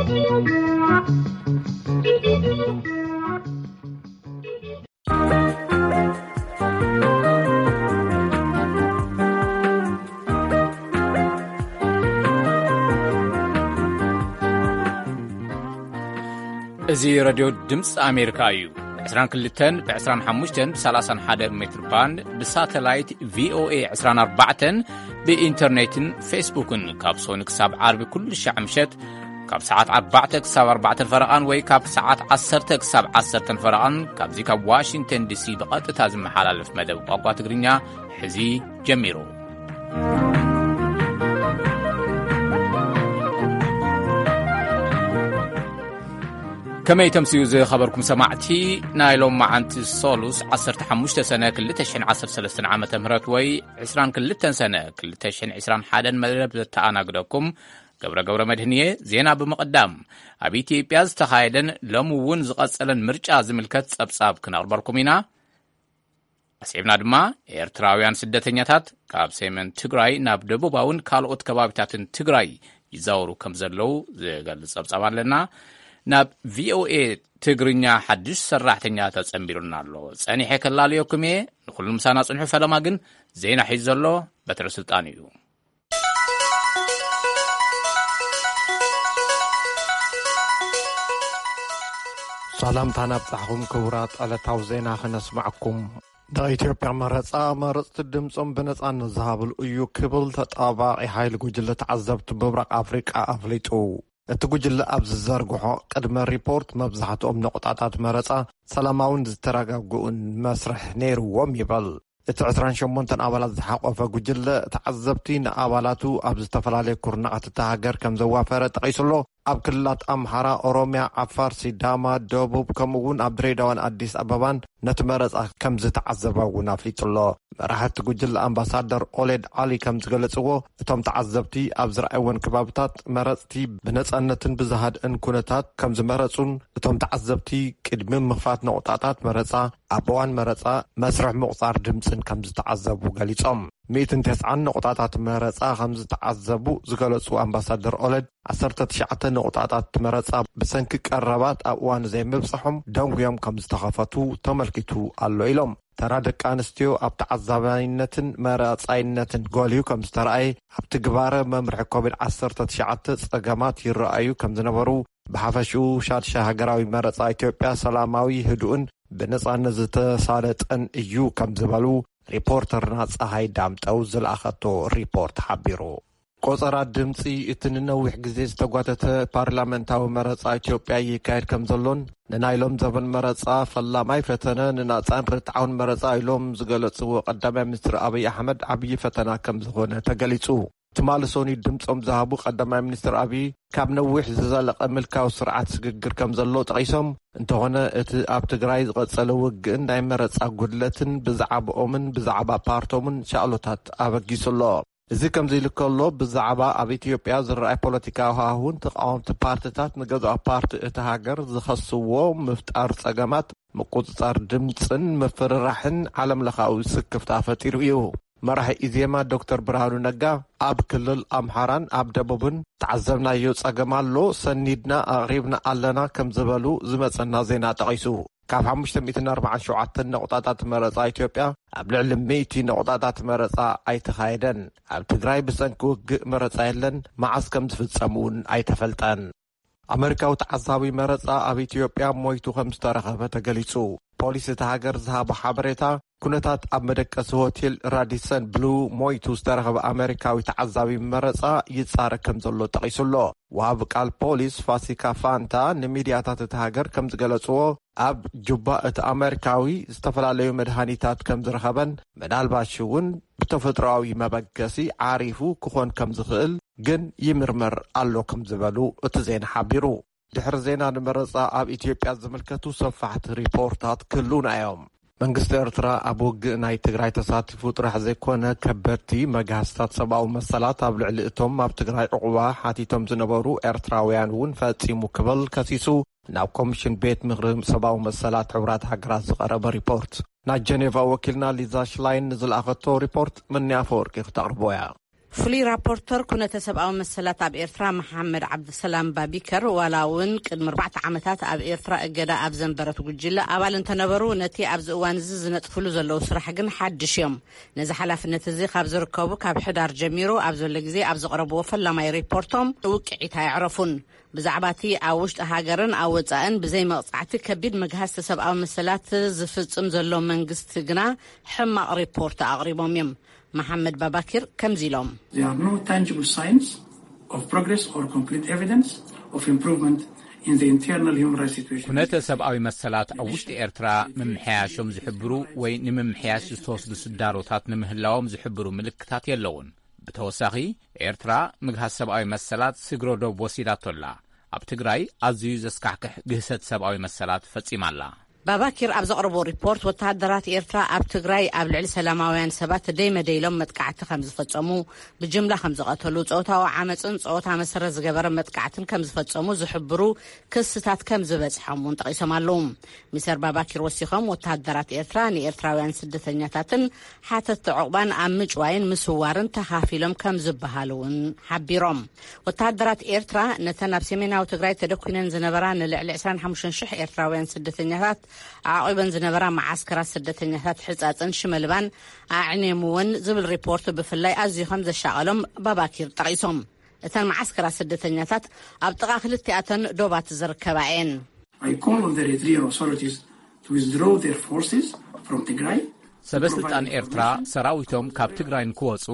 እዚ ረድዮ ድምፂ ኣሜሪካ እዩ። ብ22 ብ25 ብ31 ሜትር ባንድ፣ ብሳተላይት ቪኦኤ 24፣ ብኢንተርኔትን ፌስቡክን ካብ ሶኒ ክሳብ ዓርቢ ኩሉ ሻዕ ምሸት ካብ ሰዓት ኣርባዕተ ክሳብ ኣርባዕተ ፈረቓን ወይ ካብ ሰዓት ዓሰርተ ክሳብ ዓሰርተ ፈረቓን ካብዚ ካብ ዋሽንግተን ዲሲ ብቐጥታ ዝመሓላለፍ መደብ ቋንቋ ትግርኛ ሕዚ ጀሚሩ። ከመይ ተምስዩ ዝኸበርኩም ሰማዕቲ፣ ናይ ሎም መዓንቲ ሶሉስ ዓሰርተ ሓሙሽተ ሰነ ክልተ ሽሕን ዓሰርተ ሰለስተን ዓመተ ምህረት ወይ ዕስራን ክልተን ሰነ ክልተ ሽሕን ዕስራን ሓደን መደብ ዘተኣናግደኩም ገብረ ገብረ መድህንየ። ዜና ብምቕዳም፣ ኣብ ኢትዮጵያ ዝተኻየደን ሎሚ እውን ዝቐጸለን ምርጫ ዝምልከት ጸብጻብ ክነቕርበልኩም ኢና። ኣስዒብና ድማ ኤርትራውያን ስደተኛታት ካብ ሰሜን ትግራይ ናብ ደቡባውን ካልኦት ከባቢታትን ትግራይ ይዛወሩ ከም ዘለዉ ዝገልጽ ጸብጻብ ኣለና። ናብ ቪኦኤ ትግርኛ ሓድሽ ሰራሕተኛ ተጸንቢሩና ኣሎ። ጸኒሐ ከላልየኩም እየ። ንኹሉ ምሳና ጽንሑ። ፈለማ ግን ዜና ሒዙ ዘሎ በትረ ስልጣን እዩ። ሰላምታና ኣብጻሕኹም ክቡራት ዕለታዊ ዜና ክነስማዕኩም። ናይ ኢትዮጵያ መረጻ፣ መረጽቲ ድምጾም ብነጻነት ዝሃብሉ እዩ ክብል ተጣባቂ ሓይሊ ጉጅለ ተዓዘብቲ ምብራቕ ኣፍሪቃ ኣፍሊጡ። እቲ ጉጅለ ኣብ ዝዘርግሖ ቅድመ ሪፖርት፣ መብዛሕትኦም ነቑጣታት መረጻ ሰላማውን ዝተረጋግኡን መስርሕ ነይርዎም ይበል። እቲ ዕስራን ሸሞንተን ኣባላት ዝሓቆፈ ጉጅለ ተዓዘብቲ ንኣባላቱ ኣብ ዝተፈላለየ ኩርናዓት እታ ሃገር ከም ዘዋፈረ ጠቒሱሎ። ኣብ ክልላት ኣምሓራ፣ ኦሮምያ፣ ዓፋር፣ ሲዳማ፣ ደቡብ፣ ከምኡ እውን ኣብ ድሬዳዋን ኣዲስ ኣበባን ነቲ መረጻ ከም ዝተዓዘበ እውን ኣፍሊጡሎ። መራሕቲ ጉጅለ ኣምባሳደር ኦሌድ ዓሊ ከም ዝገለጽዎ፣ እቶም ተዓዘብቲ ኣብ ዝረኣይወን ከባብታት መረጽቲ ብነጻነትን ብዝሃድእን ኩነታት ከም ዝመረጹን፣ እቶም ተዓዘብቲ ቅድሚ ምኽፋት ነቑጣታት መረጻ ኣብ እዋን መረጻ መስርሕ ምቑጻር ድምጽን ከም ዝተዓዘቡ ገሊጾም። ሚእትን ተስዓን ነቑጣታት መረጻ ከም ዝተዓዘቡ ዝገለጹ ኣምባሳደር ኦለድ፣ ዓሰርተ ትሽዓተ ነቑጣታት መረጻ ብሰንኪ ቀረባት ኣብ እዋኑ ዘይምብጻሖም ደንጉዮም ከም ዝተኸፈቱ ተመልኪቱ ኣሎ ኢሎም። ተራ ደቂ ኣንስትዮ ኣብ ተዓዛባይነትን መራጻይነትን ጎልዩ ከም ዝተረኣየ፣ ኣብቲ ግባረ መምርሒ ኮቪድ ዓሰርተ ትሽዓተ ጸገማት ይረኣዩ ከም ዝነበሩ፣ ብሓፈሽኡ ሻድሻይ ሃገራዊ መረጻ ኢትዮጵያ ሰላማዊ፣ ህዱእን ብነጻነት ዝተሳለጠን እዩ ከም ዝበሉ ሪፖርተርና ጸሃይ ዳምጠው ዝለኣኸቶ ሪፖርት ሓቢሩ። ቆጸራ ድምጺ እቲ ንነዊሕ ግዜ ዝተጓተተ ፓርላመንታዊ መረጻ ኢትዮጵያ ይካየድ ከም ዘሎን፣ ንናይ ሎም ዘበን መረጻ ፈላማይ ፈተነ ንናጻን ርትዓውን መረጻ ኢሎም ዝገለጽዎ ቀዳማይ ሚኒስትር ኣብይ ኣሕመድ ዓብዪ ፈተና ከም ዝኾነ ተገሊጹ። ትማሊ ሶኒ ድምጾም ዝሃቡ ቀዳማይ ሚኒስትር ኣብይ፣ ካብ ነዊሕ ዝዘለቐ ምልካዊ ስርዓት ስግግር ከም ዘሎ ጠቒሶም፣ እንተኾነ እቲ ኣብ ትግራይ ዝቐጸለ ውግእን ናይ መረጻ ጉድለትን ብዛዕባኦምን ብዛዕባ ፓርቶምን ሻቕሎታት ኣበጊሱ ኣሎ። እዚ ከምዚ ኢሉ ከሎ፣ ብዛዕባ ኣብ ኢትዮጵያ ዝረኣይ ፖለቲካዊ ሃዋሁን ተቓወምቲ ፓርትታት ንገዛኢ ፓርቲ እቲ ሃገር ዝኸስዎ ምፍጣር ጸገማት ምቁጽጻር ድምጽን ምፍርራሕን ዓለምለኻዊ ስክፍታ ፈጢሩ እዩ። መራሒ ኢዜማ ዶክተር ብርሃኑ ነጋ፣ ኣብ ክልል ኣምሓራን ኣብ ደቡብን ተዓዘብናዮ ጸገም ኣሎ፣ ሰኒድና ኣቕሪብና ኣለና ከም ዝበሉ ዝመጸና ዜና ጠቒሱ። ካብ ሓሙሽተ ሚእትን ኣርባዓን ሸውዓተን ነቑጣታት መረጻ ኢትዮጵያ፣ ኣብ ልዕሊ ሚእቲ ነቑጣታት መረጻ ኣይተኻየደን። ኣብ ትግራይ ብሰንኪ ውግእ መረጻ የለን፣ መዓስ ከም ዝፍጸም እውን ኣይተፈልጠን። ኣመሪካዊ ተዓዛቢ መረጻ ኣብ ኢትዮጵያ ሞይቱ ከም ዝተረኸበ ተገሊጹ። ፖሊስ እታ ሃገር ዝሃቦ ሓበሬታ፣ ኩነታት ኣብ መደቀሲ ሆቴል ራዲሰን ብሉ ሞይቱ ዝተረኸበ ኣመሪካዊ ተዓዛቢ መረጻ ይጻረ ከም ዘሎ ጠቒሱ ኣሎ። ወሃቢ ቃል ፖሊስ ፋሲካ ፋንታ ንሚድያታት እታ ሃገር ከም ዝገለጽዎ፣ ኣብ ጁባ እቲ ኣመሪካዊ ዝተፈላለዩ መድሃኒታት ከም ዝረኸበን፣ ምናልባሽ እውን ብተፈጥሮኣዊ መበገሲ ዓሪፉ ክኾን ከም ዝኽእል ግን ይምርመር ኣሎ ከም ዝበሉ እቲ ዜና ሓቢሩ። ድሕሪ ዜና ንመረጻ ኣብ ኢትዮጵያ ዝምልከቱ ሰፋሕቲ ሪፖርታት ክህልዉና እዮም። መንግስቲ ኤርትራ ኣብ ውግእ ናይ ትግራይ ተሳቲፉ ጥራሕ ዘይኮነ፣ ከበድቲ መግሃስታት ሰብኣዊ መሰላት ኣብ ልዕሊ እቶም ኣብ ትግራይ ዕቑባ ሓቲቶም ዝነበሩ ኤርትራውያን እውን ፈጺሙ ክብል ከሲሱ፣ ናብ ኮሚሽን ቤት ምኽሪ ሰብኣዊ መሰላት ሕቡራት ሃገራት ዝቐረበ ሪፖርት። ናይ ጀኔቫ ወኪልና ሊዛ ሽላይን ንዝለኣኸቶ ሪፖርት ምንያ ኣፈወርቂ ክተቕርቦ እያ። ፍሉይ ራፖርተር ኩነተ ሰብኣዊ መሰላት ኣብ ኤርትራ መሓመድ ዓብድሰላም ባቢከር፣ ዋላ እውን ቅድሚ ኣርባዕተ ዓመታት ኣብ ኤርትራ እገዳ ኣብ ዘንበረት ጉጅለ ኣባል እንተነበሩ፣ ነቲ ኣብዚ እዋን እዚ ዝነጥፍሉ ዘለዉ ስራሕ ግን ሓድሽ እዮም። ነዚ ሓላፍነት እዚ ካብ ዝርከቡ ካብ ሕዳር ጀሚሩ ኣብ ዘሎ ግዜ ኣብ ዘቕረብዎ ፈላማይ ሪፖርቶም ውቅዒት ኣየዕረፉን። ብዛዕባ እቲ ኣብ ውሽጢ ሃገርን ኣብ ወጻእን ብዘይ መቕጻዕቲ ከቢድ መግሃስቲ ሰብኣዊ መሰላት ዝፍጽም ዘሎ መንግስቲ ግና ሕማቕ ሪፖርት ኣቕሪቦም እዮም። መሓመድ ባባኪር ከምዚ ኢሎም። There are no tangible signs of progress or concrete evidence of improvement in the internal human rights situation. ኩነተ ሰብኣዊ መሰላት ኣብ ውሽጢ ኤርትራ ምምሕያሾም ዝሕብሩ ወይ ንምምሕያሽ ዝተወስዱ ስዳሮታት ንምህላዎም ዝሕብሩ ምልክታት የለውን። ብተወሳኺ፣ ኤርትራ ምግሃስ ሰብኣዊ መሰላት ስግረ ዶብ ወሲዳቶ ኣላ። ኣብ ትግራይ ኣዝዩ ዘስካሕክሕ ግህሰት ሰብኣዊ መሰላት ፈጺማ ኣላ። ባባኪር ኣብ ዘቕረቦ ሪፖርት፣ ወተሃደራት ኤርትራ ኣብ ትግራይ ኣብ ልዕሊ ሰላማውያን ሰባት ደይ መደይ ኢሎም መጥቃዕቲ ከም ዝፈጸሙ፣ ብጅምላ ከም ዝቐተሉ፣ ጾታዊ ዓመጽን ጾታ መሰረት ዝገበረ መጥቃዕትን ከም ዝፈጸሙ ዝሕብሩ ክስታት ከም ዝበጽሖም እውን ጠቒሶም ኣለዉ። ሚስተር ባባኪር ወሲኾም፣ ወተሃደራት ኤርትራ ንኤርትራውያን ስደተኛታትን ሓተትቲ ዕቑባን ኣብ ምጭዋይን ምስዋርን ተኻፊሎም ከም ዝበሃሉ እውን ሓቢሮም። ወተሃደራት ኤርትራ ነተን ኣብ ሰሜናዊ ትግራይ ተደኩነን ዝነበራ ንልዕሊ ዕስራን ሓሙሽተን ሽሕ ኤርትራውያን ስደተኛታት ኣዕቒበን ዝነበራ መዓስከራት ስደተኛታት ሕጻጽን ሽመልባን ኣዕንየምወን ዝብል ሪፖርት ብፍላይ ኣዝዩ ከም ዘሻቐሎም ባባኪር ጠቒሶም። እተን መዓስከራት ስደተኛታት ኣብ ጥቓ ክልቲኣተን ዶባት ዝርከባ እየን። I call on the Eritrean authorities to withdraw their forces from Tigray. ሰበስልጣን ኤርትራ ሰራዊቶም ካብ ትግራይ ንክወጹ፣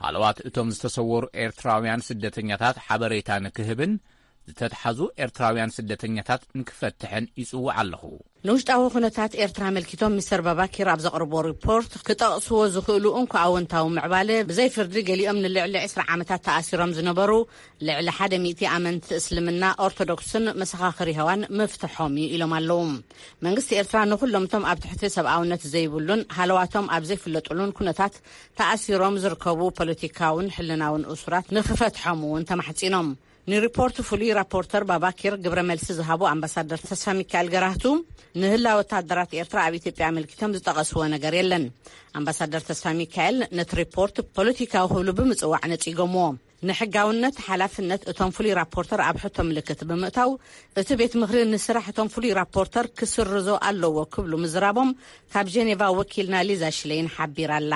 ሃለዋት እቶም ዝተሰወሩ ኤርትራውያን ስደተኛታት ሓበሬታ ንክህብን ዝተትሓዙ ኤርትራውያን ስደተኛታት ንክፈትሕን ይጽውዕ ኣለኹ። ንውሽጣዊ ኩነታት ኤርትራ ኣመልኪቶም ሚስተር ባባኪር ኣብ ዘቕርቦ ሪፖርት ክጠቕስዎ ዝኽእሉ እንኮ ኣወንታዊ ምዕባለ፣ ብዘይ ፍርዲ ገሊኦም ንልዕሊ ዕስራ ዓመታት ተኣሲሮም ዝነበሩ ልዕሊ ሓደ ሚእቲ ኣመንቲ እስልምና ኦርቶዶክስን መሰኻኽር የሆዋን ምፍትሖም እዩ ኢሎም ኣለዉ። መንግስቲ ኤርትራ ንኹሎም እቶም ኣብ ትሕቲ ሰብኣውነት ዘይብሉን ሃለዋቶም ኣብ ዘይፍለጥሉን ኩነታት ተኣሲሮም ዝርከቡ ፖለቲካውን ሕልናውን እሱራት ንክፈትሖም እውን ተማሕጺኖም። ንሪፖርት ፍሉይ ራፖርተር ባባኪር ግብረ መልሲ ዝሃቡ ኣምባሳደር ተስፋ ሚካኤል ገራህቱ፣ ንህላ ወታደራት ኤርትራ ኣብ ኢትዮጵያ ኣመልኪቶም ዝጠቐስዎ ነገር የለን። ኣምባሳደር ተስፋ ሚካኤል ነቲ ሪፖርት ፖለቲካዊ ክብሉ ብምጽዋዕ ነጺጎምዎ። ንሕጋውነት ሓላፍነት እቶም ፍሉይ ራፖርተር ኣብ ሕቶ ምልክት ብምእታው፣ እቲ ቤት ምኽሪ ንስራሕ እቶም ፍሉይ ራፖርተር ክስርዞ ኣለዎ ክብሉ ምዝራቦም ካብ ጀኔቫ ወኪልና ሊዛ ሽለይን ሓቢራ ኣላ።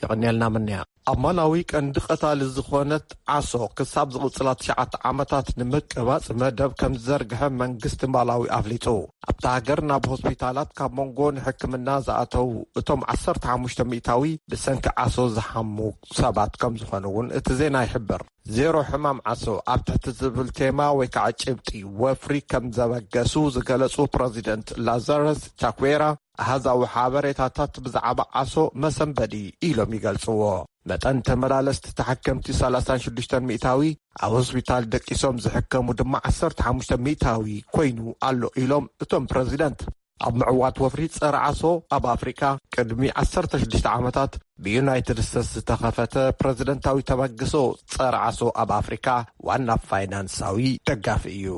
የቐንየልና ምንያ። ኣብ ማላዊ ቀንዲ ቀታሊ ዝኾነት ዓሶ ክሳብ ዝቕጽላ ትሽዓተ ዓመታት ንምቅባጽ መደብ ከም ዝዘርግሐ መንግስቲ ማላዊ ኣፍሊጡ። ኣብታ ሃገር ናብ ሆስፒታላት ካብ መንጎ ንሕክምና ዝኣተው እቶም ዓሰርተ ሓሙሽተ ሚእታዊ ብሰንኪ ዓሶ ዝሓሙ ሰባት ከም ዝኾኑ እውን እቲ ዜና ይሕብር። ዜሮ ሕማም ዓሶ ኣብ ትሕቲ ዝብል ቴማ ወይ ከዓ ጭብጢ ወፍሪ ከም ዘበገሱ ዝገለጹ ፕረዚደንት ላዛረስ ቻኩዌራ፣ ኣሃዛዊ ሓበሬታታት ብዛዕባ ዓሶ መሰንበዲ ኢሎም ይገልጽዎ። መጠን ተመላለስቲ ተሓከምቲ ሰላሳን ሽዱሽተን ሚእታዊ፣ ኣብ ሆስፒታል ደቂሶም ዝሕከሙ ድማ ዓሰርተ ሓሙሽተ ሚእታዊ ኮይኑ ኣሎ ኢሎም እቶም ፕረዚደንት። ኣብ ምዕዋት ወፍሪ ጸረ ዓሶ ኣብ ኣፍሪካ ቅድሚ ዓሰርተ ሽዱሽተ ዓመታት ብዩናይትድ ስቴትስ ዝተኸፈተ ፕረዚደንታዊ ተበግሶ ጸረ ዓሶ ኣብ ኣፍሪካ ዋና ፋይናንሳዊ ደጋፊ እዩ።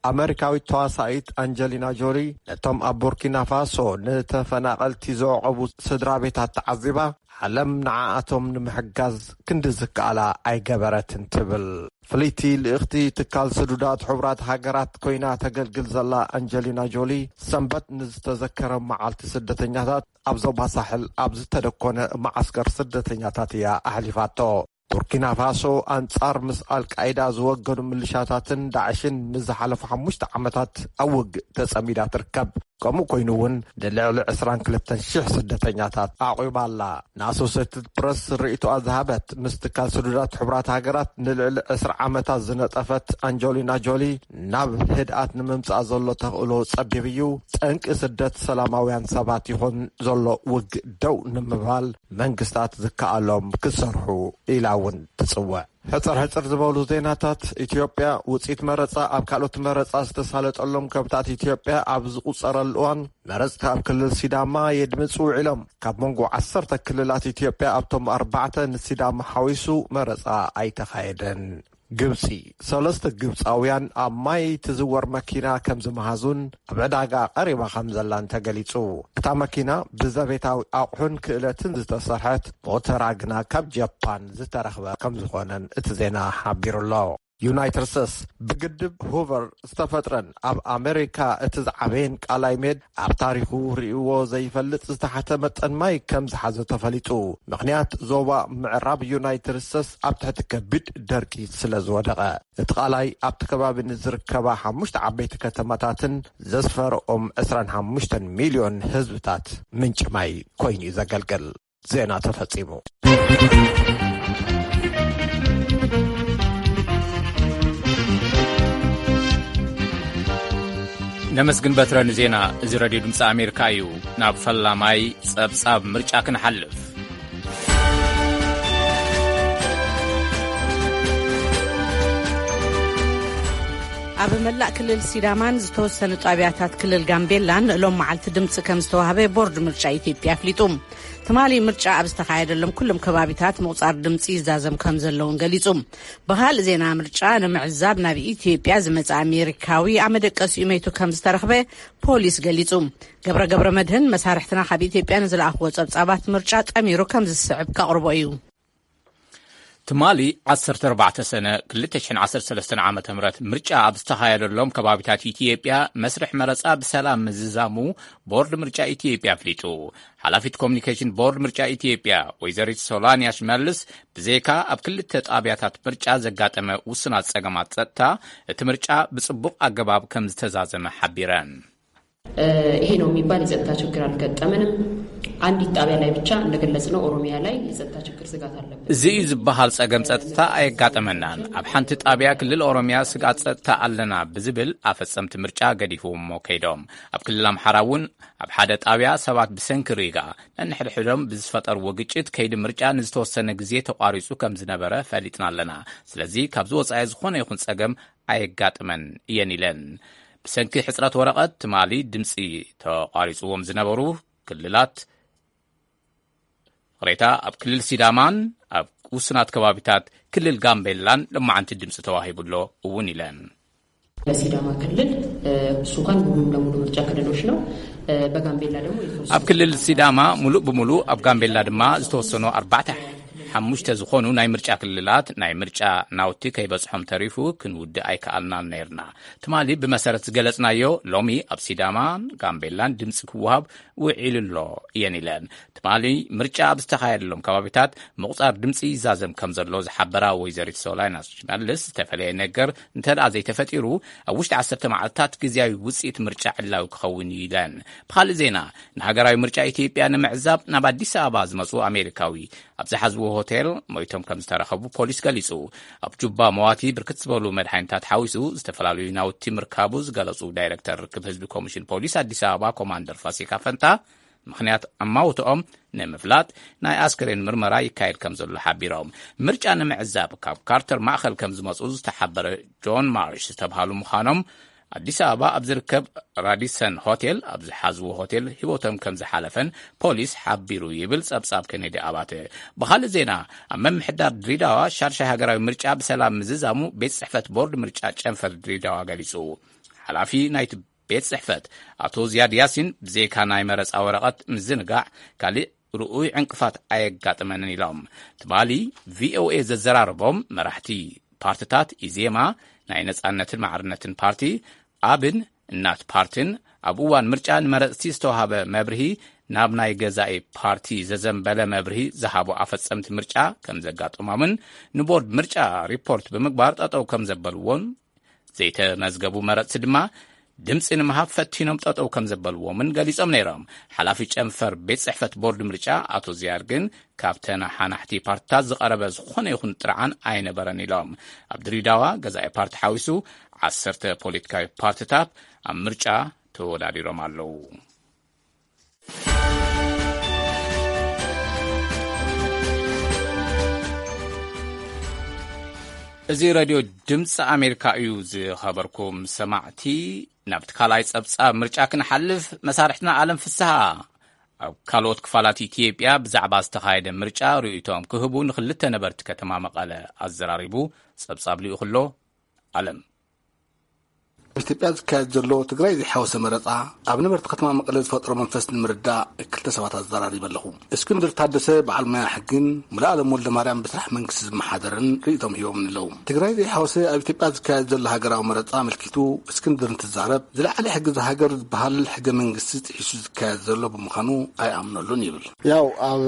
ኣመሪካዊት ተዋሳኢት ኣንጀሊና ጆሊ ነቶም ኣብ ቡርኪና ፋሶ ንተፈናቐልቲ ዘዕቆቡ ስድራ ቤታት ተዓዚባ፣ ዓለም ንዓኣቶም ንምሕጋዝ ክንዲ ዝከኣላ ኣይገበረትን ትብል። ፍልይቲ ልእኽቲ ትካል ስዱዳት ሕቡራት ሃገራት ኮይና ተገልግል ዘላ ኣንጀሊና ጆሊ፣ ሰንበት ንዝተዘከረ መዓልቲ ስደተኛታት ኣብ ዞባ ሳሕል ኣብ ዝተደኮነ መዓስከር ስደተኛታት እያ ኣሕሊፋቶ። ቡርኪና ፋሶ ኣንጻር ምስ ኣልቃይዳ ዝወገኑ ምልሻታትን ዳዕሽን ንዝሓለፉ ሓሙሽተ ዓመታት ኣብ ውግእ ተጸሚዳ ትርከብ። ከምኡ ኮይኑ እውን ንልዕሊ ዕስራን ክልተን ሽሕ ስደተኛታት ኣዕቒባ ኣላ። ንኣሶሴትድ ፕረስ ርእይቶኣ ዝሃበት ምስ ትካል ስዱዳት ሕቡራት ሃገራት ንልዕሊ ዕስራ ዓመታት ዝነጠፈት ኣንጀሊና ጆሊ፣ ናብ ህድኣት ንምምጻእ ዘሎ ተኽእሎ ጸቢብ እዩ። ጠንቂ ስደት ሰላማውያን ሰባት ይኹን ዘሎ ውግእ ደው ንምባል መንግስታት ዝከኣሎም ክሰርሑ ኢላ እውን ትጽውዕ። ሕጽር ሕጽር ዝበሉ ዜናታት። ኢትዮጵያ፣ ውጽኢት መረጻ ኣብ ካልኦት መረጻ ዝተሳለጠሎም ከባብታት ኢትዮጵያ ኣብ ዝቑጸረሉ እዋን፣ መረጽቲ ኣብ ክልል ሲዳማ የድምጹ ውዒሎም። ካብ መንጎ ዓሰርተ ክልላት ኢትዮጵያ ኣብቶም ኣርባዕተ ንሲዳማ ሓዊሱ መረጻ ኣይተኻየደን። ግብጺ፣ ሰለስተ ግብጻውያን ኣብ ማይ ትዝወር መኪና ከም ዝመሃዙን ኣብ ዕዳጋ ቀሪባ ከም ዘላን ተገሊጹ። እታ መኪና ብዘቤታዊ ኣቑሑን ክእለትን ዝተሰርሐት፣ ሞተራ ግና ካብ ጃፓን ዝተረኽበ ከም ዝኾነን እቲ ዜና ሓቢሩ ኣሎ። ዩናይትድ ስቴትስ፣ ብግድብ ሁቨር ዝተፈጥረን ኣብ ኣሜሪካ እቲ ዝዓበየን ቃላይ ሜዳ ኣብ ታሪኹ ርእይዎ ዘይፈልጥ ዝተሓተ መጠን ማይ ከም ዝሓዘ ተፈሊጡ። ምኽንያት፣ ዞባ ምዕራብ ዩናይትድ ስቴትስ ኣብ ትሕቲ ከቢድ ደርቂ ስለ ዝወደቐ። እቲ ቃላይ ኣብቲ ከባቢ ንዝርከባ ሓሙሽተ ዓበይቲ ከተማታትን ዘስፈርኦም ዕስራን ሓሙሽተን ሚልዮን ህዝብታት ምንጪ ማይ ኮይኑ እዩ ዘገልግል። ዜና ተፈጺሙ። ነመስግን በትረ ንዜና። እዚ ሬድዮ ድምፂ ኣሜሪካ እዩ። ናብ ፈላማይ ጸብጻብ ምርጫ ክንሓልፍ። ኣብ መላእ ክልል ሲዳማን ዝተወሰኑ ጣብያታት ክልል ጋምቤላን ሎም መዓልቲ ድምፂ ከም ዝተዋህበ ቦርድ ምርጫ ኢትዮጵያ ኣፍሊጡ። ትማሊ ምርጫ ኣብ ዝተኻየደሎም ኩሎም ከባቢታት ምቑጻር ድምፂ ይዛዘም ከም ዘለውን ገሊጹ። ብኻልእ ዜና፣ ምርጫ ንምዕዛብ ናብ ኢትዮጵያ ዝመጸ ኣሜሪካዊ ኣብ መደቀሲኡ መይቱ ከም ዝተረኽበ ፖሊስ ገሊጹ። ገብረ ገብረ መድህን መሳርሕትና ካብ ኢትዮጵያ ንዝለኣኽዎ ጸብጻባት ምርጫ ጠሚሩ ከም ዝስዕብ ከቕርቦ እዩ። ትማሊ ዓሰርተ ኣርባዕተ ሰነ ክልተ ሽሕን ዓሰርተ ሰለስተን ዓመተ ምህረት ምርጫ ኣብ ዝተኻየደሎም ከባቢታት ኢትዮጵያ መስርሕ መረጻ ብሰላም ምዝዛሙ ቦርድ ምርጫ ኢትዮጵያ ኣፍሊጡ። ሓላፊት ኮሚኒኬሽን ቦርድ ምርጫ ኢትዮጵያ ወይዘሪት ሶላንያ ሽመልስ፣ ብዘይካ ኣብ ክልተ ጣብያታት ምርጫ ዘጋጠመ ውሱናት ጸገማት ጸጥታ፣ እቲ ምርጫ ብጽቡቕ ኣገባብ ከም ዝተዛዘመ ሓቢረን። ይሄ ነው የሚባል የጸጥታ ችግር አልገጠመንም። አንዲት ጣቢያ ላይ ብቻ እንደገለጽነው ኦሮሚያ ላይ የጸጥታ ችግር ስጋት አለበት። እዚ እዩ ዝበሃል ጸገም ጸጥታ ኣየጋጠመናን። ኣብ ሓንቲ ጣብያ ክልል ኦሮሚያ ስጋት ጸጥታ ኣለና ብዝብል ኣፈጸምቲ ምርጫ ገዲፍዎሞ ከይዶም። ኣብ ክልል ኣምሓራ እውን ኣብ ሓደ ጣብያ ሰባት ብሰንኪ ሪጋ ነንሕድሕዶም ብዝፈጠርዎ ግጭት ከይዲ ምርጫ ንዝተወሰነ ግዜ ተቋሪጹ ከም ዝነበረ ፈሊጥና ኣለና። ስለዚ ካብዚ ወጻኢ ዝኾነ ይኹን ጸገም ኣየጋጥመን እየን ኢለን። ብሰንኪ ሕጽረት ወረቐት ትማሊ ድምጺ ተቋሪጽዎም ዝነበሩ ክልላት ቅሬታ ኣብ ክልል ሲዳማን ኣብ ውሱናት ከባቢታት ክልል ጋምቤላን ለማዓንቲ ድምጺ ተዋሂቡ ኣሎ እውን ኢለን። በሲዳማ ክልል እሱ እንኳን ሙሉ ለሙሉ ምርጫ ክልሎች ነው። በጋምቤላ ደግሞ የተወሰኑ ኣብ ክልል ሲዳማ ሙሉእ ብሙሉእ፣ ኣብ ጋምቤላ ድማ ዝተወሰኑ ኣርባዕተ ሓሙሽተ ዝኾኑ ናይ ምርጫ ክልላት ናይ ምርጫ ናውቲ ከይበጽሖም ተሪፉ ክንውድእ ኣይከኣልናን ነይርና። ትማሊ ብመሰረት ዝገለጽናዮ፣ ሎሚ ኣብ ሲዳማን ጋምቤላን ድምጺ ክወሃብ ውዒሉ ኣሎ እየን ኢለን። ትማሊ ምርጫ ኣብ ዝተኻየደሎም ከባቢታት ምቑጻር ድምጺ ይዛዘም ከም ዘሎ ዝሓበራ ወይዘሪት ሶላይና ሽመልስ፣ ዝተፈለየ ነገር እንተ ደኣ ዘይተፈጢሩ፣ ኣብ ውሽጢ ዓሰርተ መዓልታት ግዝያዊ ውጽኢት ምርጫ ዕላዊ ክኸውን እዩ ኢለን። ብኻልእ ዜና፣ ንሃገራዊ ምርጫ ኢትዮጵያ ንምዕዛብ ናብ ኣዲስ ኣበባ ዝመጹ ኣሜሪካዊ ኣብ ዝሓዝዎ ሆቴል ሞይቶም ከም ዝተረኸቡ ፖሊስ ገሊጹ። ኣብ ጁባ መዋቲ ብርክት ዝበሉ መድሓኒታት ሓዊሱ ዝተፈላለዩ ናውቲ ምርካቡ ዝገለጹ ዳይረክተር ርክብ ህዝቢ ኮሚሽን ፖሊስ ኣዲስ ኣበባ ኮማንደር ፋሲካ ፈንታ፣ ምኽንያት ኣማውትኦም ንምፍላጥ ናይ ኣስክሬን ምርመራ ይካየድ ከም ዘሎ ሓቢሮም። ምርጫ ንምዕዛብ ካብ ካርተር ማእኸል ከም ዝመጹ ዝተሓበረ ጆን ማርሽ ዝተብሃሉ ምዃኖም፣ ኣዲስ ኣበባ ኣብ ዝርከብ ራዲሰን ሆቴል ኣብ ዝሓዝዎ ሆቴል ህይወቶም ከም ዝሓለፈን ፖሊስ ሓቢሩ ይብል ጸብጻብ ኬኔዲ ኣባተ። ብኻልእ ዜና፣ ኣብ ምምሕዳር ድሬዳዋ ሻድሻይ ሃገራዊ ምርጫ ብሰላም ምዝዛሙ ቤት ጽሕፈት ቦርድ ምርጫ ጨንፈር ድሬዳዋ ገሊጹ። ሓላፊ ናይቲ ቤት ጽሕፈት ኣቶ ዝያድ ያሲን፣ ብዘይካ ናይ መረጻ ወረቐት ምዝንጋዕ፣ ካልእ ርኡይ ዕንቅፋት ኣየጋጠመንን ኢሎም። ትማሊ ቪኦኤ ዘዘራረቦም መራሕቲ ፓርትታት፣ ኢዜማ፣ ናይ ነጻነትን ማዕርነትን ፓርቲ፣ ኣብን እናት ፓርትን፣ ኣብ እዋን ምርጫ ንመረጽቲ ዝተዋህበ መብርሂ ናብ ናይ ገዛኢ ፓርቲ ዘዘንበለ መብርሂ ዝሃቡ ኣፈጸምቲ ምርጫ ከም ዘጋጠሞምን ንቦርድ ምርጫ ሪፖርት ብምግባር ጠጠው ከም ዘበልዎን፣ ዘይተመዝገቡ መረጽቲ ድማ ድምጺ ንምሃብ ፈቲኖም ጠጠው ከም ዘበልዎምን ገሊጾም ነይሮም። ሓላፊ ጨንፈር ቤት ጽሕፈት ቦርድ ምርጫ ኣቶ ዝያድ ግን፣ ካብ ተነሓናሕቲ ፓርትታት ዝቐረበ ዝኾነ ይኹን ጥርዓን ኣይነበረን ኢሎም። ኣብ ድሬዳዋ ገዛኢ ፓርቲ ሓዊሱ ዓሰርተ ፖለቲካዊ ፓርትታት ኣብ ምርጫ ተወዳዲሮም ኣለዉ። እዚ ሬድዮ ድምፂ ኣሜሪካ እዩ። ዝኸበርኩም ሰማዕቲ፣ ናብቲ ካልኣይ ጸብጻብ ምርጫ ክንሓልፍ፣ መሳርሕትና ኣለም ፍስሃ ኣብ ካልኦት ክፋላት ኢትዮጵያ ብዛዕባ ዝተኻየደ ምርጫ ርእይቶኦም ክህቡ ንኽልተ ነበርቲ ከተማ መቐለ ኣዘራሪቡ። ጸብጻብ ልኢኹ ኣሎ። ኣለም። ኣብ ኢትዮጵያ ዝካየድ ዘሎ ትግራይ ዘይሓወሰ መረጻ ኣብ ነበርቲ ከተማ መቐለ ዝፈጥሮ መንፈስ ንምርዳእ ክልተ ሰባት ኣዘራሪበ ኣለኹ። እስክንድር ታደሰ በዓል ሞያ ሕግን ሙሉኣለም ወልደ ማርያም ብስራሕ መንግስቲ ዝመሓደርን ርእይቶም ሂቦምኒ ኣለዉ። ትግራይ ዘይሓወሰ ኣብ ኢትዮጵያ ዝካየድ ዘሎ ሃገራዊ መረጻ ኣመልኪቱ እስክንድር እንትዛረብ፣ ዝለዓለ ሕጊ እዛ ሃገር ዝበሃል ሕገ መንግስቲ ጥሒሱ ዝካየድ ዘሎ ብምዃኑ ኣይኣምነሉን ይብል። ያው ኣብ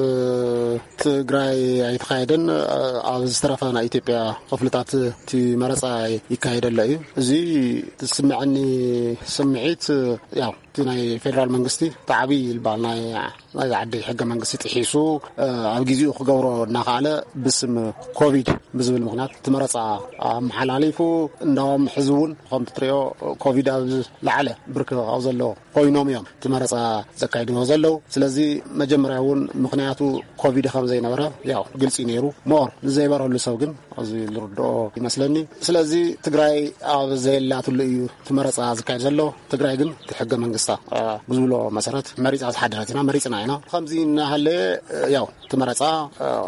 ትግራይ ኣይተኻየደን። ኣብ ዝተረፈ ናይ ኢትዮጵያ ክፍልታት እቲ መረፃ ይካየድ ኣሎ እዩ። እዚ ዝስምዐኒ ስምዒት ያው እቲ ናይ ፌደራል መንግስቲ እቲ ዓብዪ ዝበሃል ናይ ናይዛ ዓዲ ሕገ መንግስቲ ጥሒሱ ኣብ ግዜኡ ክገብሮ እናኸኣለ ብስም ኮቪድ ብዝብል ምኽንያት እቲ መረፃ ኣመሓላሊፉ እንዳውም ሕዚ እውን ከምቲ ትሪኦ ኮቪድ ኣብ ዝለዓለ ብርኪ ኣብ ዘለዎ ኮይኖም እዮም እቲ መረፃ ዘካይድዎ ዘለዉ። ስለዚ መጀመርያ እውን ምኽንያቱ ኮቪድ ከም ዘይነበረ ያው ግልፂ ነይሩ። ሞር ንዘይበረሉ ሰብ ግን እዚ ዝርድኦ ይመስለኒ። ስለዚ ትግራይ ኣብ ዘየላትሉ እዩ እቲ መረፃ ዝካየድ ዘሎ። ትግራይ ግን እቲ ሕገ መንግስታ ብዝብሎ መሰረት መሪፃ ዝሓደረት ኢና፣ መሪፅና ኢና። ከምዚ እናሃለ ያው እቲ መረፃ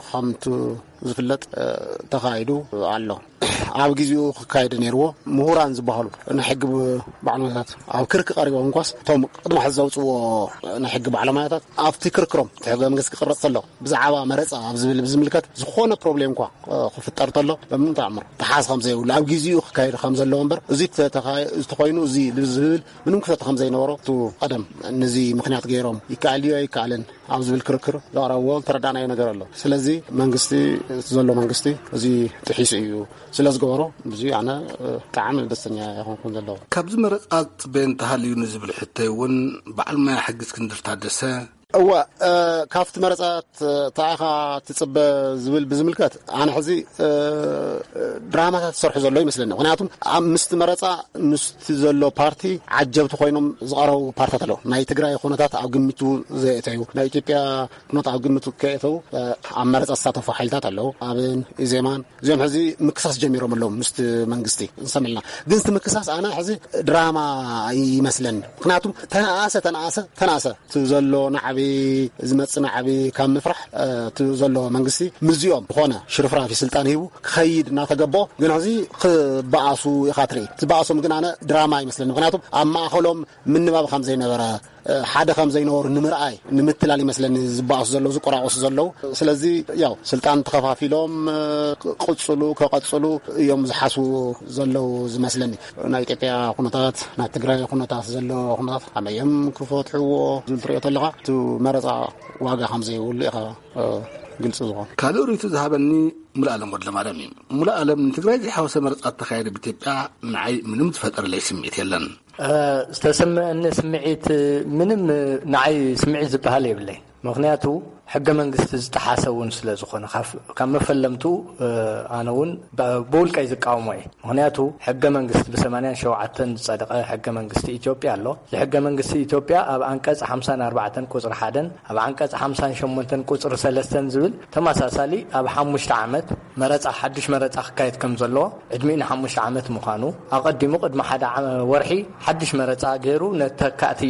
ከምቲ ዝፍለጥ ተኻይዱ ኣሎ። ኣብ ግዜኡ ክካየድ ነይርዎ። ምሁራን ዝበሃሉ ናይ ሕጊ ባዕልሞያታት ኣብ ክርክ ቀሪቦም እንኳስ እቶም ቅድሚ ሕዚ ዘውፅዎ ናይ ሕጊ ባዕልሞያታት ኣብቲ ክርክሮም እቲ ሕገ መንግስቲ ክቅረፅ ተሎ ብዛዕባ መረፃ ኣብ ዝብል ብዝምልከት ዝኾነ ፕሮብሌም እንኳ ክፍጠር ተሎ በምንም ተኣምር ተሓዝ ከም ዘይብሉ ኣብ ግዜኡ ክካየድ ከም ዘለዎ እምበር እዚ ተተኾይኑ እዚ ዝብል ምንም ክፍተት ከም ዘይነበሮ እቲ ቀደም ነዚ ምክንያት ገይሮም ይከኣል ድዩ ኣይከኣልን ኣብ ዝብል ክርክር ዘቕረብዎ ዝተረዳእናዮ ነገር ኣሎ። ስለዚ መንግስቲ ዘሎ መንግስቲ እዚ ጥሒሱ እዩ ስለ ዝገበሮ እዚ ኣነ ብጣዕሚ ደስተኛ ይኾንኩን ዘለኹ። ካብዚ መረፃ ትፅበዮ እንተሃልዩ ንዝብል ሕቶይ እውን በዓል ሞያ ሕጊ እስክንድር ታደሰ እወ ካብቲ መረፃ እንታይ ኢኻ ትፅበ ዝብል ብዝምልከት ኣነ ሕዚ ድራማታት ዝሰርሑ ዘሎ ይመስለኒ። ምክንያቱም ኣብ ምስቲ መረፃ ምስቲ ዘሎ ፓርቲ ዓጀብቲ ኮይኖም ዝቐረቡ ፓርትታት ኣለዉ። ናይ ትግራይ ኩነታት ኣብ ግምቱ ዘየእተዩ ናይ ኢትዮጵያ ኩነት ኣብ ግምቱ ከየእተዉ ኣብ መረፃ ዝሳተፉ ሓይልታት ኣለዉ። ኣብን ኢዜማን እዚኦም ሕዚ ምክሳስ ጀሚሮም ኣለዉ ምስቲ መንግስቲ ንሰምዕልና። ግን እቲ ምክሳስ ኣነ ሕዚ ድራማ ይመስለኒ። ምክንያቱም ተነኣሰ ተነኣሰ ተነኣሰ እቲ ዘሎ ናዕቢ ዝመፅእ ናዕቢ ካብ ምፍራሕ እቲ ዘሎ መንግስቲ ምዚኦም ዝኾነ ሽርፍራፊ ስልጣን ሂቡ ክኸይድ እናተገቦ ግን ሕዚ ክበኣሱ ኢኻ ትርኢ። ዝበኣሶም ግን ኣነ ድራማ ይመስለኒ። ምክንያቱም ኣብ ማእኸሎም ምንባብ ከም ዘይነበረ ሓደ ከም ዘይነበሩ ንምርኣይ ንምትላል ይመስለኒ ዝበኣሱ ዘለዉ ዝቆራቆሱ ዘለዉ። ስለዚ ያው ስልጣን ተኸፋፊሎም ቅፅሉ ከቐፅሉ እዮም ዝሓስቡ ዘለዉ ዝመስለኒ። ናይ ኢትዮጵያ ኩነታት ናይ ትግራይ ኩነታት ዘሎ ኩነታት ኣመዮም ክፈትሕዎ ዝብል ትሪኦ ተለኻ እቲ መረፃ ዋጋ ከም ዘይብሉ ኢኻ ግልፂ ዝኾን። ካልእ ርእይቶ ዝሃበኒ ሙሉኣለም ወድለማርያም እዩ። ሙሉኣለም ንትግራይ ዘይሓወሰ መረፃ ተኻየደ ብኢትዮጵያ ንዓይ ምንም ዝፈጠረለይ ስምዒት የለን። ዝተሰምዐኒ ስምዒት ምንም ንዓይ ስምዒት ዝበሃል የብለይ። ምክንያቱ ሕገ መንግስቲ ዝጠሓሰ እውን ስለ ዝኾነ ካብ መፈለምቱ ኣነ እውን ብውልቀይ ዝቃወሞ እየ። ምክንያቱ ሕገ መንግስቲ ብ ሰማንያን ሸውዓተን ዝፀደቐ ሕገ መንግስቲ ኢትዮጵያ ኣሎ። እዚ ሕገ መንግስቲ ኢትዮጵያ ኣብ ኣንቀፅ ሓምሳን ኣርባዕተን ቁፅሪ ሓደን ኣብ ዓንቀፅ ሓምሳን ሸሞንተን ቁፅሪ ሰለስተን ዝብል ተመሳሳሊ ኣብ ሓሙሽተ ዓመት መረፃ ሓድሽ መረፃ ክካየድ ከም ዘለዎ ዕድሚኡ ንሓሙሽተ ዓመት ምዃኑ ኣቐዲሙ ቅድሚ ሓደ ወርሒ ሓድሽ መረፃ ገይሩ ነተካእቲ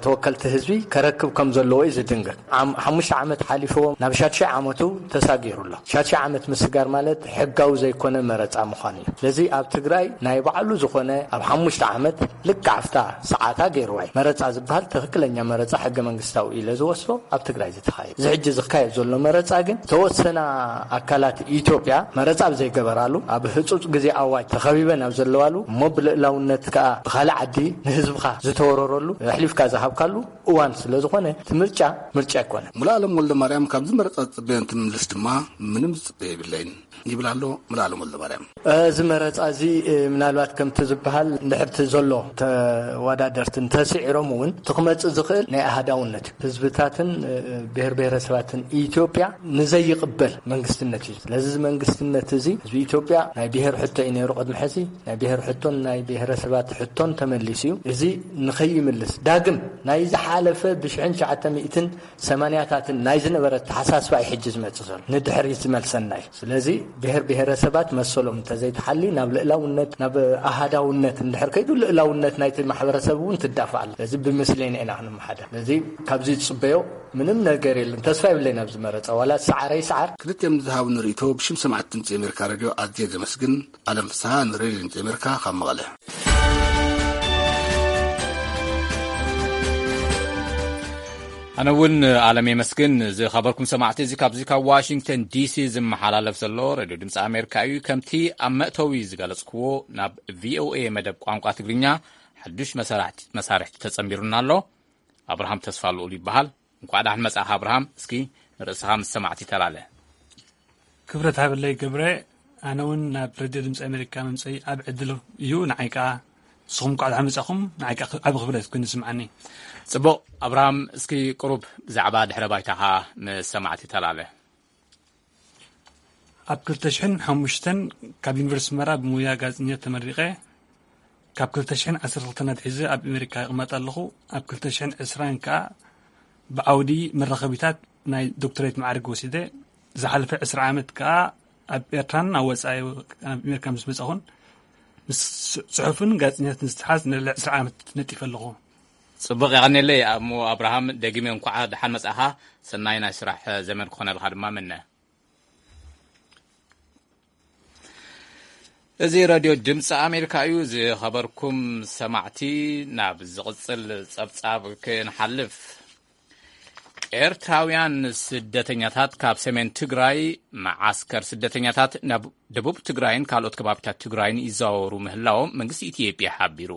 ተወከልቲ ህዝቢ ከረክብ ከም ዘለዎ እዩ ዝድንግግ። ሓሙሽተ ዓመት ሓሊፍዎም ናብ ሻድሻይ ዓመቱ ተሳጊሩ ኣሎ። ሻድሻይ ዓመት ምስጋር ማለት ሕጋዊ ዘይኮነ መረፃ ምዃኑ እዩ። ስለዚ ኣብ ትግራይ ናይ ባዕሉ ዝኾነ ኣብ ሓሙሽተ ዓመት ልክዕ ኣብታ ሰዓታ ገይርዋ እዩ። መረፃ ዝበሃል ትኽክለኛ መረፃ ሕገ መንግስታዊ ኢለ ዝወስዶ ኣብ ትግራይ ዝተኻየደ። እዚ ሕጂ ዝካየድ ዘሎ መረፃ ግን ተወሰና ኣካላት ኢትዮጵያ መረፃ ኣብ ዘይገበራሉ ኣብ ህፁፅ ግዜ ኣዋጅ ተኸቢበን ኣብ ዘለዋሉ እሞ ብልእላውነት ከዓ ብኻልእ ዓዲ ንህዝብኻ ዝተወረረሉ ኣሕሊፍካ ዝሃብካሉ እዋን ስለ ዝኾነ እቲ ምርጫ ምርጫ ኣይኮነን። ሙሉኣለም ወልደ ማርያም ካብዚ መረፃ ዝፅበዮ እንትምልስ ድማ ምንም ዝፅበዮ የብለይን ይብል ኣሎ ሙሉኣለም ወልደ ማርያም። እዚ መረፃ እዚ ምናልባት ከምቲ ዝበሃል እንድሕርቲ ዘሎ ተወዳደርቲ እንተስዒሮም እውን እቲ ክመፅእ ዝኽእል ናይ ኣሃዳውነት እዩ። ህዝብታትን ብሔር ብሔረሰባትን ኢትዮጵያ ንዘይቕበል መንግስትነት እዩ። ስለዚ እዚ መንግስትነት እዚ ህዝቢ ኢትዮጵያ ናይ ብሔር ሕቶ እዩ ነይሩ ቅድሚ ሕዚ። ናይ ብሔር ሕቶን ናይ ብሔረሰባት ሕቶን ተመሊሱ እዩ። እዚ ንኸይምልስ ዳግም ናይ ዝሓለፈ ብሽሕን ትሽዓተ ሚእትን ሰማንያታትን ናይ ዝነበረ ኣተሓሳስባ እዩ ሕጂ ዝመጽእ ዘሎ፣ ንድሕሪት ዝመልሰና እዩ። ስለዚ ብሔር ብሔረሰባት መሰሎም እንተዘይተሓሊ ናብ ልእላውነት፣ ናብ ኣሃዳውነት እንድሕር ከይዱ፣ ልእላውነት ናይቲ ማሕበረሰብ እውን ትዳፋ ኣላ። ስለዚ ብምስሌን ኢና ክንመሓደር። ስለዚ ካብዚ ዝጽበዮ ምንም ነገር የለን። ተስፋ የብለይን ኣብዚ መረጻ፣ ዋላ ሰዓረ ይሰዓር። ክልቲኦም ዝሃቡ ንርእይቶ ብሽም ሰማዕቲ ድምፂ ኣሜሪካ ሬድዮ ኣዝየ ዘመስግን። ኣለም ፍስሃ ንሬድዮ ድምፂ ኣሜሪካ ካብ መቐለ። ኣነ እውን ኣለም የመስግን። ዝኸበርኩም ሰማዕቲ፣ እዚ ካብዚ ካብ ዋሽንግተን ዲሲ ዝመሓላለፍ ዘሎ ሬድዮ ድምፂ ኣሜሪካ እዩ። ከምቲ ኣብ መእተዊ ዝገለጽክዎ፣ ናብ ቪኦኤ መደብ ቋንቋ ትግርኛ ሓዱሽ መሳርሕቲ ተጸንቢሩና ኣሎ። ኣብርሃም ተስፋ ልኡል ይበሃል። እንኳዕ ደሓን መጻእኻ ኣብርሃም። እስኪ ንርእስኻ ምስ ሰማዕቲ ተላለ። ክብረት ሃበለይ ገብረ። ኣነ እውን ናብ ሬድዮ ድምፂ ኣሜሪካ ምምፀይ ኣብ ዕድል እዩ። ንዓይ ከዓ ንስኹም እንኳዕ ደሓን መጻኹም። ንዓይ ከዓ ዓብ ክብረት ኮይኑ ይስምዓኒ። ጽቡቕ ኣብርሃም፣ እስኪ ቅሩብ ብዛዕባ ድሕረ ባይታኻ ምስ ሰማዕቲ ተላለ። ኣብ ክልተ ሽሕን ሓሙሽተን ካብ ዩኒቨርሲቲ መራ ብሙያ ጋዜጠኛ ተመሪቐ። ካብ ክልተ ሽሕን ዓሰርተ ክልተን ኣትሒዘ ኣብ ኣሜሪካ ይቕመጥ ኣለኹ። ኣብ ክልተ ሽሕን ዕስራን ከኣ ብዓውዲ መራኸቢታት ናይ ዶክተሬት ማዕርግ ወሲደ። ዝሓለፈ ዕስራ ዓመት ከኣ ኣብ ኤርትራን ኣብ ወጻኢ፣ ኣብ ኣሜሪካ ምስ መጻኹን፣ ምስ ጽሑፍን ጋዜጠኛትን ዝተሓዝ ንልዕሊ ዕስራ ዓመት ነጢፈ ኣለኹ። ጽቡቕ፣ የቐንየለይ። እሞ ኣብርሃም፣ ደጊመ እንኳዕ ደሓን መጻእኻ። ሰናይ ናይ ስራሕ ዘመን ክኾነልካ ድማ ምነ። እዚ ሬድዮ ድምፂ ኣሜሪካ እዩ። ዝኸበርኩም ሰማዕቲ፣ ናብ ዝቕጽል ጸብጻብ ክንሓልፍ። ኤርትራውያን ስደተኛታት ካብ ሰሜን ትግራይ መዓስከር ስደተኛታት ናብ ደቡብ ትግራይን ካልኦት ከባቢታት ትግራይን ይዘዋወሩ ምህላዎም መንግስቲ ኢትዮጵያ ሓቢሩ።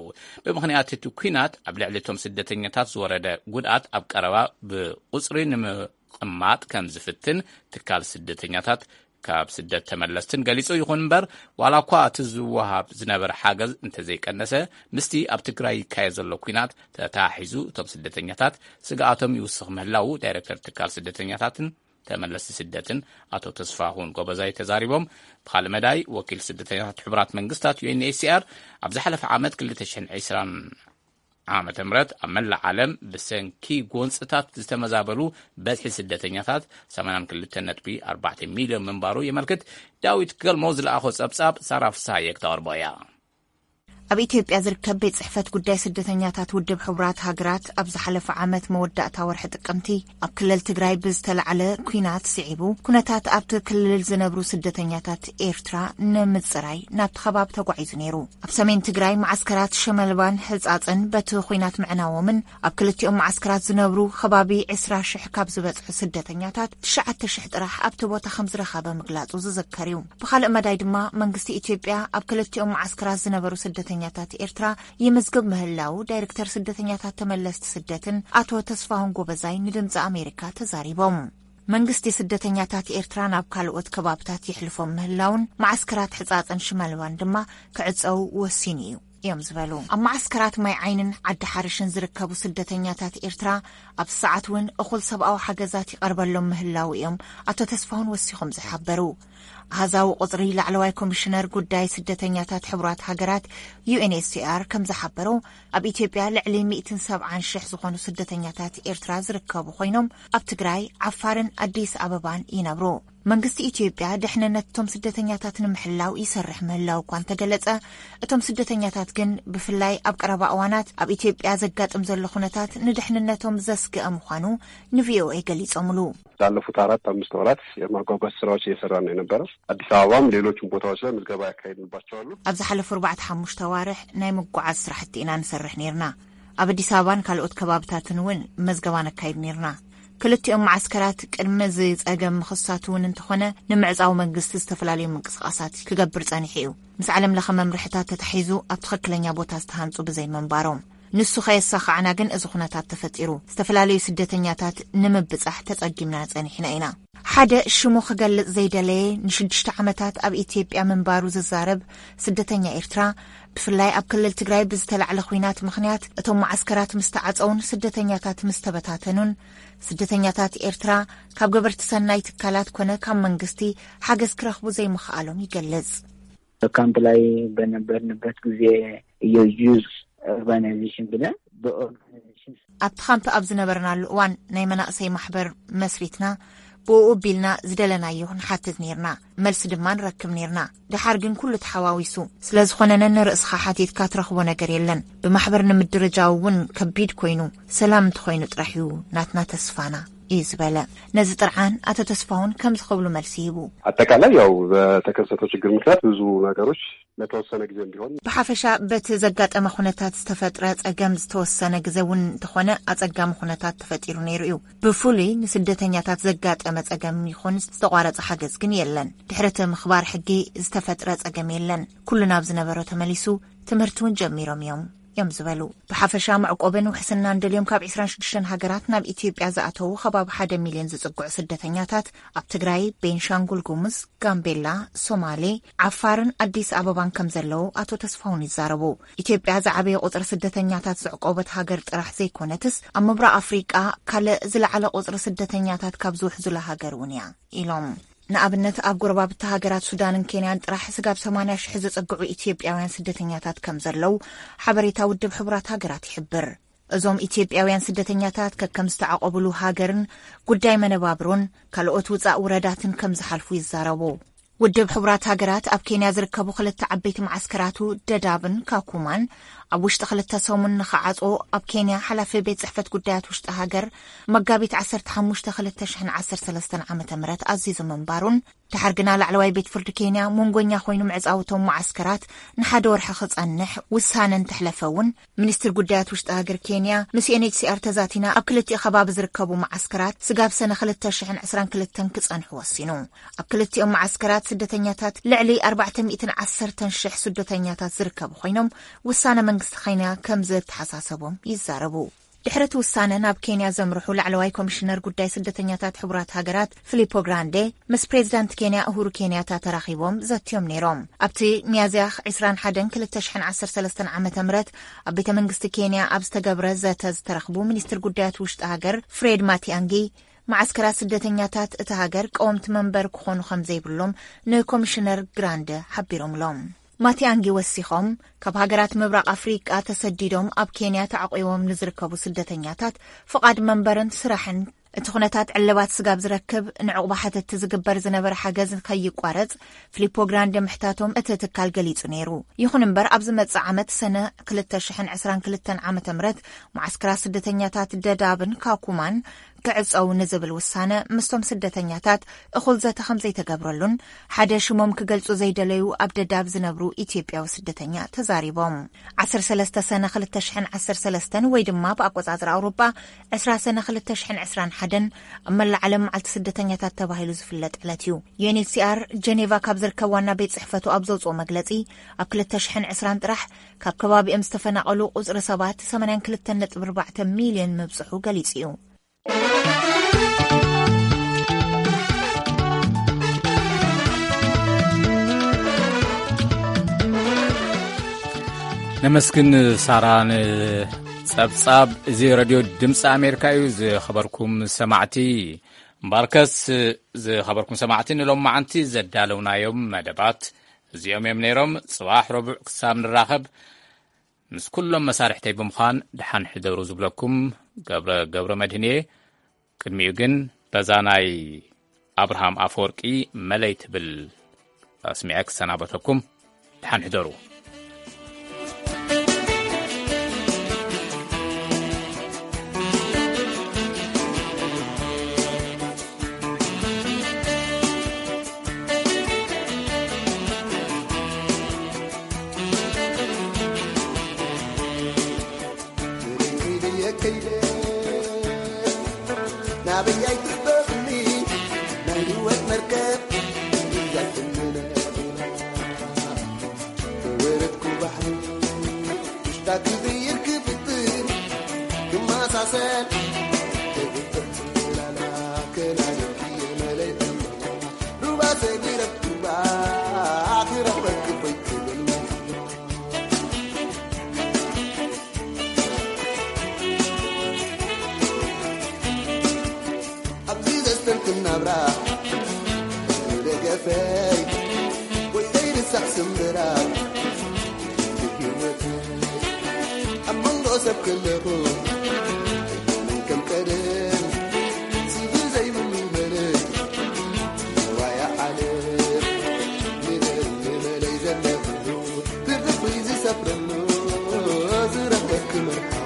ብምኽንያት እቲ ኲናት ኣብ ልዕሊ እቶም ስደተኛታት ዝወረደ ጉድኣት ኣብ ቀረባ ብቁጽሪ ንምቕማጥ ከም ዝፍትን ትካል ስደተኛታት ካብ ስደት ተመለስትን ገሊጹ። ይኹን እምበር፣ ዋላ እኳ እቲ ዝወሃብ ዝነበረ ሓገዝ እንተዘይቀነሰ፣ ምስቲ ኣብ ትግራይ ይካየድ ዘሎ ኲናት ተተሓሒዙ እቶም ስደተኛታት ስግኣቶም ይውስኽ ምህላዉ ዳይሬክተር ትካል ስደተኛታትን ተመለስቲ ስደትን ኣቶ ተስፋሁን ጎበዛይ ተዛሪቦም። ብኻልእ መዳይ፣ ወኪል ስደተኛታት ሕቡራት መንግስታት ዩ ኤን ኤች ሲ ኣር ኣብ ዝሓለፈ ዓመት ክልተ ሽሕን ዕስራን ዓመተ ምህረት ኣብ መላእ ዓለም ብሰንኪ ጎንፅታት ዝተመዛበሉ በዝሒ ስደተኛታት ሰማንያን ክልተን ነጥቢ ኣርባዕተ ሚልዮን ምንባሩ የመልክት። ዳዊት ገልሞ ዝለኣኾ ጸብጻብ ሳራ ፍስሃየ ክተቕርቦ እያ። ኣብ ኢትዮጵያ ዝርከብ ቤት ጽሕፈት ጉዳይ ስደተኛታት ውድብ ሕቡራት ሃገራት ኣብ ዝሓለፈ ዓመት መወዳእታ ወርሒ ጥቅምቲ ኣብ ክልል ትግራይ ብዝተላዕለ ኲናት ስዒቡ ኩነታት ኣብቲ ክልል ዝነብሩ ስደተኛታት ኤርትራ ንምጽራይ ናብቲ ከባቢ ተጓዒዙ ነይሩ። ኣብ ሰሜን ትግራይ መዓስከራት ሸመልባን ሕጻጽን በቲ ኲናት ምዕናዎምን ኣብ ክልቲኦም መዓስከራት ዝነብሩ ከባቢ ዕስራ ሽሕ ካብ ዝበጽሑ ስደተኛታት ትሽዓተ ሽሕ ጥራሕ ኣብቲ ቦታ ከም ዝረኸበ ምግላጹ ዝዝከር እዩ። ብኻልእ መዳይ ድማ መንግስቲ ኢትዮጵያ ኣብ ክልቲኦም መዓስከራት ዝነበሩ ስደተኛታት ኤርትራ ይምዝግብ ምህላው ዳይሬክተር ስደተኛታት ተመለስቲ ስደትን ኣቶ ተስፋሁን ጎበዛይ ንድምፂ ኣሜሪካ ተዛሪቦም። መንግስቲ ስደተኛታት ኤርትራ ናብ ካልኦት ከባብታት የሕልፎም ምህላውን መዓስከራት ሕጻጽን ሽመልባን ድማ ክዕጸው ወሲኑ እዩ እዮም ዝበሉ። ኣብ መዓስከራት ማይ ዓይንን ዓዲ ሓርሽን ዝርከቡ ስደተኛታት ኤርትራ ኣብ ሰዓት እውን እኹል ሰብኣዊ ሓገዛት ይቐርበሎም ምህላው እዮም ኣቶ ተስፋሁን ወሲኾም ዝሓበሩ። ኣሃዛዊ ቁጽሪ ላዕለዋይ ኮሚሽነር ጉዳይ ስደተኛታት ሕቡራት ሃገራት ዩ ኤን ኤች ሲ ኣር ከም ዝሓበሩ፣ ኣብ ኢትዮጵያ ልዕሊ ሚእትን ሰብዓን ሽሕ ዝኾኑ ስደተኛታት ኤርትራ ዝርከቡ ኮይኖም፣ ኣብ ትግራይ፣ ዓፋርን ኣዲስ ኣበባን ይነብሩ። መንግስቲ ኢትዮጵያ ድሕንነት እቶም ስደተኛታት ንምሕላው ይሰርሕ ምህላው እኳ እንተገለጸ፣ እቶም ስደተኛታት ግን ብፍላይ ኣብ ቀረባ እዋናት ኣብ ኢትዮጵያ ዘጋጥም ዘሎ ኩነታት ንድሕንነቶም ዘስግእ ምዃኑ ንቪኦኤ ገሊጾምሉ። ላለፉት አራት አምስት ወራት የማጓጓዝ ስራዎች እየሰራን ነው የነበረው። አዲስ አበባም ሌሎችም ቦታዎች ላይ ምዝገባ ያካሄድንባቸው አሉ። ኣብ ዝሓለፉ ኣርባዕተ ሓሙሽተ ኣዋርሕ ናይ ምጉዓዝ ስራሕቲ ኢና ንሰርሕ ነይርና። ኣብ ኣዲስ ኣበባን ካልኦት ከባብታትን እውን መዝገባ ነካይድ ነይርና። ክልቲኦም መዓስከራት ቅድሚ እዚ ጸገም ምኽሳቱ እውን እንተኾነ ንምዕጻው መንግስቲ ዝተፈላለዩ ምንቅስቓሳት ክገብር ጸኒሑ እዩ። ምስ ዓለም ለኸ መምርሕታት ተታሒዙ ኣብ ትኽክለኛ ቦታ ዝተሃንጹ ብዘይምንባሮም። ንሱ ከየሳኻዕና ግን እዚ ኩነታት ተፈጢሩ። ዝተፈላለዩ ስደተኛታት ንምብጻሕ ተጸጊምና ጸኒሕና ኢና። ሓደ ሽሙ ክገልጽ ዘይደለየ ንሽዱሽተ ዓመታት ኣብ ኢትዮጵያ ምንባሩ ዝዛረብ ስደተኛ ኤርትራ፣ ብፍላይ ኣብ ክልል ትግራይ ብዝተላዕለ ኲናት ምኽንያት እቶም መዓስከራት ምስ ተዓጸውን ስደተኛታት ምስ ተበታተኑን፣ ስደተኛታት ኤርትራ ካብ ገበርቲ ሰናይ ትካላት ኮነ ካብ መንግስቲ ሓገዝ ክረኽቡ ዘይምኽኣሎም ይገልጽ። ካምፕ ላይ በነበርንበት ጊዜ የዩዝ ኦርጋናይዜሽን ብለን በኦርጋናይዜሽን ኣብቲ ካምፕ ኣብ ዝነበርናሉ እዋን ናይ መናእሰይ ማሕበር መስሪትና፣ ብኡ ቢልና ዝደለናዮ ንሓትት ኔርና፣ መልሲ ድማ ንረክብ ኔርና። ደሓር ግን ኩሉ ተሓዋዊሱ ስለ ዝኾነ፣ ነንርእስኻ ሓቲትካ ትረኽቦ ነገር የለን። ብማሕበር ንምድርጃው እውን ከቢድ ኮይኑ፣ ሰላም እንተኾይኑ ጥራሕ እዩ ናትና ተስፋና፣ እዩ ዝበለ። ነዚ ጥርዓን ኣቶ ተስፋሁን ከምዚ ክብሉ መልሲ ሂቡ። ኣጠቃላይ ያው በተከሰተው ችግር ምክንያት ብዙ ነገሮች ለተወሰነ ጊዜም ቢሆን ብሓፈሻ በቲ ዘጋጠመ ኩነታት ዝተፈጥረ ጸገም ዝተወሰነ ግዜ እውን እንተኾነ ኣጸጋሚ ኩነታት ተፈጢሩ ነይሩ እዩ። ብፍሉይ ንስደተኛታት ዘጋጠመ ጸገም ይኹን ዝተቋረጸ ሓገዝ ግን የለን። ድሕሪ እቲ ምኽባር ሕጊ ዝተፈጥረ ጸገም የለን። ኩሉ ናብ ዝነበሮ ተመሊሱ፣ ትምህርቲ እውን ጀሚሮም እዮም እዮም ዝበሉ። ብሓፈሻ መዕቆብን ውሕስናን ደልዮም ካብ ዕስራን ሽዱሽተን ሃገራት ናብ ኢትዮጵያ ዝኣተዉ ከባቢ ሓደ ሚልዮን ዝጽግዑ ስደተኛታት ኣብ ትግራይ፣ ቤንሻንጉል ጉሙዝ፣ ጋምቤላ፣ ሶማሌ፣ ዓፋርን ኣዲስ ኣበባን ከም ዘለዉ ኣቶ ተስፋሁን ይዛረቡ። ኢትዮጵያ ዝዓበየ ቁጽሪ ስደተኛታት ዘዕቆበት ሃገር ጥራሕ ዘይኮነትስ ኣብ ምብራቕ ኣፍሪቃ ካልእ ዝለዓለ ቁጽሪ ስደተኛታት ካብ ዝውሕዙላ ሃገር እውን እያ ኢሎም። ንኣብነት ኣብ ጎረባብቲ ሃገራት ሱዳንን ኬንያን ጥራሕ ስጋብ ሰማንያ ሽሕ ዝጽግዑ ኢትዮጵያውያን ስደተኛታት ከም ዘለዉ ሓበሬታ ውድብ ሕቡራት ሃገራት ይሕብር። እዞም ኢትዮጵያውያን ስደተኛታት ከከም ዝተዓቆብሉ ሃገርን ጉዳይ መነባብሮን ካልኦት ውጻእ ውረዳትን ከም ዝሓልፉ ይዛረቡ። ውድብ ሕቡራት ሃገራት ኣብ ኬንያ ዝርከቡ ክልተ ዓበይቲ መዓስከራቱ ደዳብን ካኩማን ኣብ ውሽጢ ክልተ ሰሙን ንኽዓጾ ኣብ ኬንያ ሓላፊ ቤት ጽሕፈት ጉዳያት ውሽጢ ሃገር መጋቢት ዓሰርተ ሓሙሽተ ክልተ ሽሕን ዓሰርተ ሰለስተን ዓመተ ምህረት ኣዚዙ ምንባሩን፣ ድሓር ግና ላዕለዋይ ቤት ፍርዲ ኬንያ መንጎኛ ኮይኑ ምዕጻውቶም መዓስከራት ንሓደ ወርሒ ክጸንሕ ውሳነ እንተሕለፈ እውን፣ ሚኒስትር ጉዳያት ውሽጢ ሃገር ኬንያ ምስ ዩ ኤን ኤች ሲ ኣር ተዛቲና ኣብ ክልቲኡ ከባቢ ዝርከቡ መዓስከራት ስጋብ ሰነ ክልተ ሽሕን ዕስራን ክልተን ክጸንሑ ወሲኑ። ኣብ ክልቲኦም መዓስከራት ስደተኛታት ልዕሊ ኣርባዕተ ሚእትን ዓሰርተን ሽሕ ስደተኛታት ዝርከቡ ኮይኖም፣ ውሳነ መንግስቲ ኬንያ ከም ዘተሓሳሰቦም ይዛረቡ። ድሕሪ እቲ ውሳነ ናብ ኬንያ ዘምርሑ ላዕለዋይ ኮሚሽነር ጉዳይ ስደተኛታት ሕቡራት ሃገራት ፊሊፖ ግራንዴ ምስ ፕሬዚዳንት ኬንያ እሁሩ ኬንያታ ተራኺቦም ዘትዮም ነይሮም። ኣብቲ ሚያዝያ ዕስራን ሓደን ክልተ ሽሕን ዓሰርተ ሰለስተን ዓመተ ምህረት ኣብ ቤተ መንግስቲ ኬንያ ኣብ ዝተገብረ ዘተ ዝተረኽቡ ሚኒስትር ጉዳያት ውሽጢ ሃገር ፍሬድ ማቲኣንጊ፣ መዓስከራት ስደተኛታት እታ ሃገር ቀወምቲ መንበር ክኾኑ ከም ዘይብሎም ንኮሚሽነር ግራንደ ሓቢሮምሎም። ማቲኣንጊ ወሲኾም፣ ካብ ሃገራት ምብራቕ ኣፍሪቃ ተሰዲዶም ኣብ ኬንያ ተዓቂቦም ንዝርከቡ ስደተኛታት ፍቓድ መንበርን ስራሕን እቲ ኩነታት ዕልባት ስጋብ ዝረክብ ንዕቑባ ሓተትቲ ዝግበር ዝነበረ ሓገዝ ከይቋረጽ ፊሊፖ ግራንደ ምሕታቶም እቲ ትካል ገሊጹ ነይሩ። ይኹን እምበር፣ ኣብ ዝመጽእ ዓመት ሰነ ክልተ ሽሕን ዕስራን ክልተን ዓመተ ምህረት መዓስከራት ስደተኛታት ደዳብን ካኩማን ክዕጸው ንዝብል ውሳነ ምስቶም ስደተኛታት እኹል ዘተ ከም ዘይተገብረሉን ሓደ ሽሞም ክገልጹ ዘይደለዩ ኣብ ደዳብ ዝነብሩ ኢትዮጵያዊ ስደተኛ ተዛሪቦም። ዓሰርተ ሰለስተ ሰነ ክልተ ሽሕን ዓሰርተ ሰለስተን ወይ ድማ ብኣቆጻጽራ ኣውሮጳ ዕስራ ሰነ ክልተ ሽሕን ዕስራን ሓደን ኣብ መላእ ዓለም መዓልቲ ስደተኛታት ተባሂሉ ዝፍለጥ ዕለት እዩ። ዩ ኤን ኤች ሲ ኣር ጀኔቫ ካብ ዝርከብ ዋና ቤት ጽሕፈቱ ኣብ ዘውጽኦ መግለጺ፣ ኣብ ክልተ ሽሕን ዕስራን ጥራሕ ካብ ከባቢኦም ዝተፈናቐሉ ቁጽሪ ሰባት ሰማንያን ክልተን ነጥቢ ኣርባዕተ ሚልዮን ምብጽሑ ገሊጹ እዩ። ነመስግን ሳራ ንጸብጻብ። እዚ ረድዮ ድምፂ ኣሜሪካ እዩ። ዝኸበርኩም ሰማዕቲ፣ እምበኣርከስ ዝኸበርኩም ሰማዕቲ፣ ንሎም መዓንቲ ዘዳለውናዮም መደባት እዚኦም እዮም ነይሮም። ጽባሕ ረቡዕ ክሳብ ንራኸብ፣ ምስ ኩሎም መሳርሕተይ ብምዃን ደሓን ሕደሩ ዝብለኩም ገብረ፣ ገብረ መድህን እየ። ቅድሚኡ ግን በዛ ናይ ኣብርሃም ኣፈወርቂ መለይ ትብል ኣስሚዐ ክሰናበተኩም። ደሓን ሕደሩ። ናበይ ኣይትሕበርኒ ናይ ህይወት መርከብ እያ ትምነጥና። ተወረድኩ ባሕሪ ውሽጣ ክዝይር ክፍትን ክመሳሰል ተግብር ትላላ ከናንኪ መለይ እማ ሩባ ሰጊረ ሩባ ክረኽበኪ ኮይትብል ኣብዚ ዘስተንትን ናብራ ደገፈይ ወይ ዘይርሳዕ ስምብራ ህይወት ኣብ መንጎ ሰብ ከለኹ ክመርሓ